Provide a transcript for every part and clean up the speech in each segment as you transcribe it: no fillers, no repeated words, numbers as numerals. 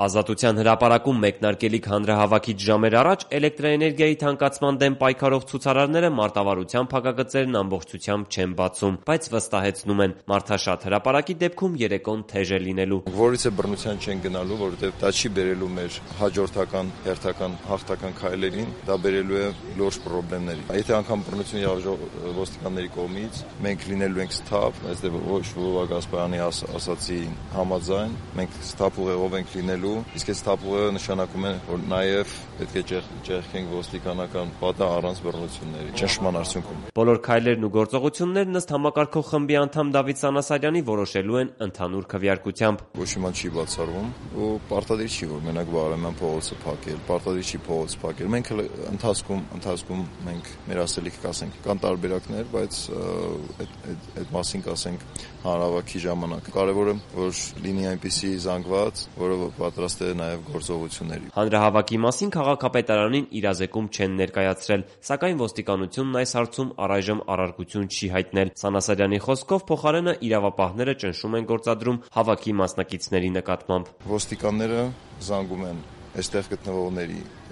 Ազատության հրապարակում մեկնարկելիք հանրահավաքից ժամեր առաջ էլեկտրաէներգիայի թանկացման դեմ պայքարող ցուցարարները մարտավարության փակագծերն ամբողջությամբ չեն բացում, բայց վստահեցնում են՝ մարդաշատ հրապարակի դեպքում երեկոն թեժ է լինելու։ Որից է բռնության չեն գնալու, որովհետև դա չի բերելու մեր հաջորդական հերթական հաղթական քայլերին, դա բերելու է լուրջ խնդիրների։ Եթե անգամ բռնություն եղավ ոստիկանների կողմից, մենք լինելու ենք սթափ, այստեղ ոչ Վովա Գասպարյանի ասացի համաձայն, մենք սթափ ուղեղով ենք լինելու, իսկ այս սթափ ուղեղը նշանակում է, որ նաև պետք է ճեղքենք ոստիկանական պատը առանց բռնությունների, ճնշման արդյունքում։ Բոլոր քայլերն ու գործողություններն ըստ համակարգող խմբի անդամ Դավիթ Սանասարյանի որոշելու են ընդհանուր քվեարկությամբ։ Ոչ մի բան չի բացառվում ու պարտադիր չի, որ մենակ Բաղրամյան փողոցը փակել, պարտադիր չի փողոց փակել։ Մենք ընթացքում մենք մեր ասելիք կասենք, կան տարբերակներ, բայց այդ մասին կասենք հանրահավաքի ժամանակ։ Կարևորը որ լինի այնպիսի զանգված, որը պատրաստ է նաև գործողությունների։ Հանրահավաքի մասին քաղաքապետարանին իրազեկում չեն ներկայացրել, սակայն ոստիկանությունն այս հարցում առայժմ առարկություն չի հայտնել։ Սանասարյանի խոսքով փոխարենը իրավապահները ճնշում են գործադրում հավաքի մասնակիցների նկատմամբ։ Ոստիկանները զանգում են այստեղ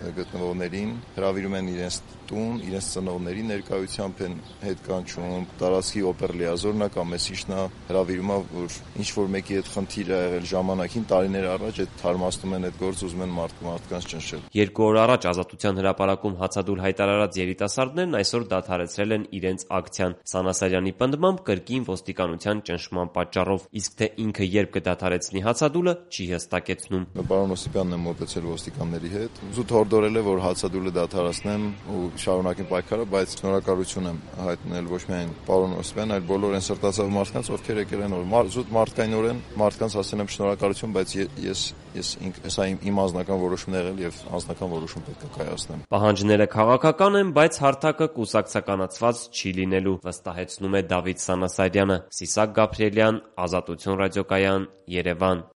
գտնվողներին, հրավիրում են իրենց տուն, իրենց ծնողների ներկայությամբ են հետ կանչում, տարածքի օպերլիազորնա կամ մեսիչնա հրավիրում է, որ ինչ-որ մեկի հետ խնդիր ա եղել ժամանակին, տարիներ առաջ այդ թարմացնում են այդ գործ, ուզում են մարդկանց ճնշել։ 2 օր առաջ Ազատության հրապարակում հացադուլ հայտարարած երիտասարդներն այսօր դադարեցրել են իրենց ակցիան։ Սանասարյանի պնդմամբ կրկին ոստիկանության ճնշման պատճառով, իսկ թե ինքը երբ կդադարեցնի հացադուլը, չի հստակեցնում։ Պարոն Օսիպյանն է մոտեցել ոստիկանների հետ, զուտ հորդորել է, որ հացադուլը դադարեցնեմ ու շարունակեմ պայքարը, բայց շնորհակալություն եմ հայտնել ոչ միայն պարոն Օսիպյանին, այլ բոլոր այն սրտացավ մարդկանց, ովքեր եկել են զուտ մարդկայնորեն մարդկանց ասել եմ շնորհակալություն, բայց սա իմ անձնական որոշումն է եղել եւ անձնական որոշում պետք է կայացնեմ։ Պահանջները քաղաքական են, բայց հարթակը կուսակցականացված չի լինելու, վստահեցնում է Դավիթ Սանասարյանը։ Սիսակ Գաբրիելյան, Ազատություն ռադիոկայան, Երևան։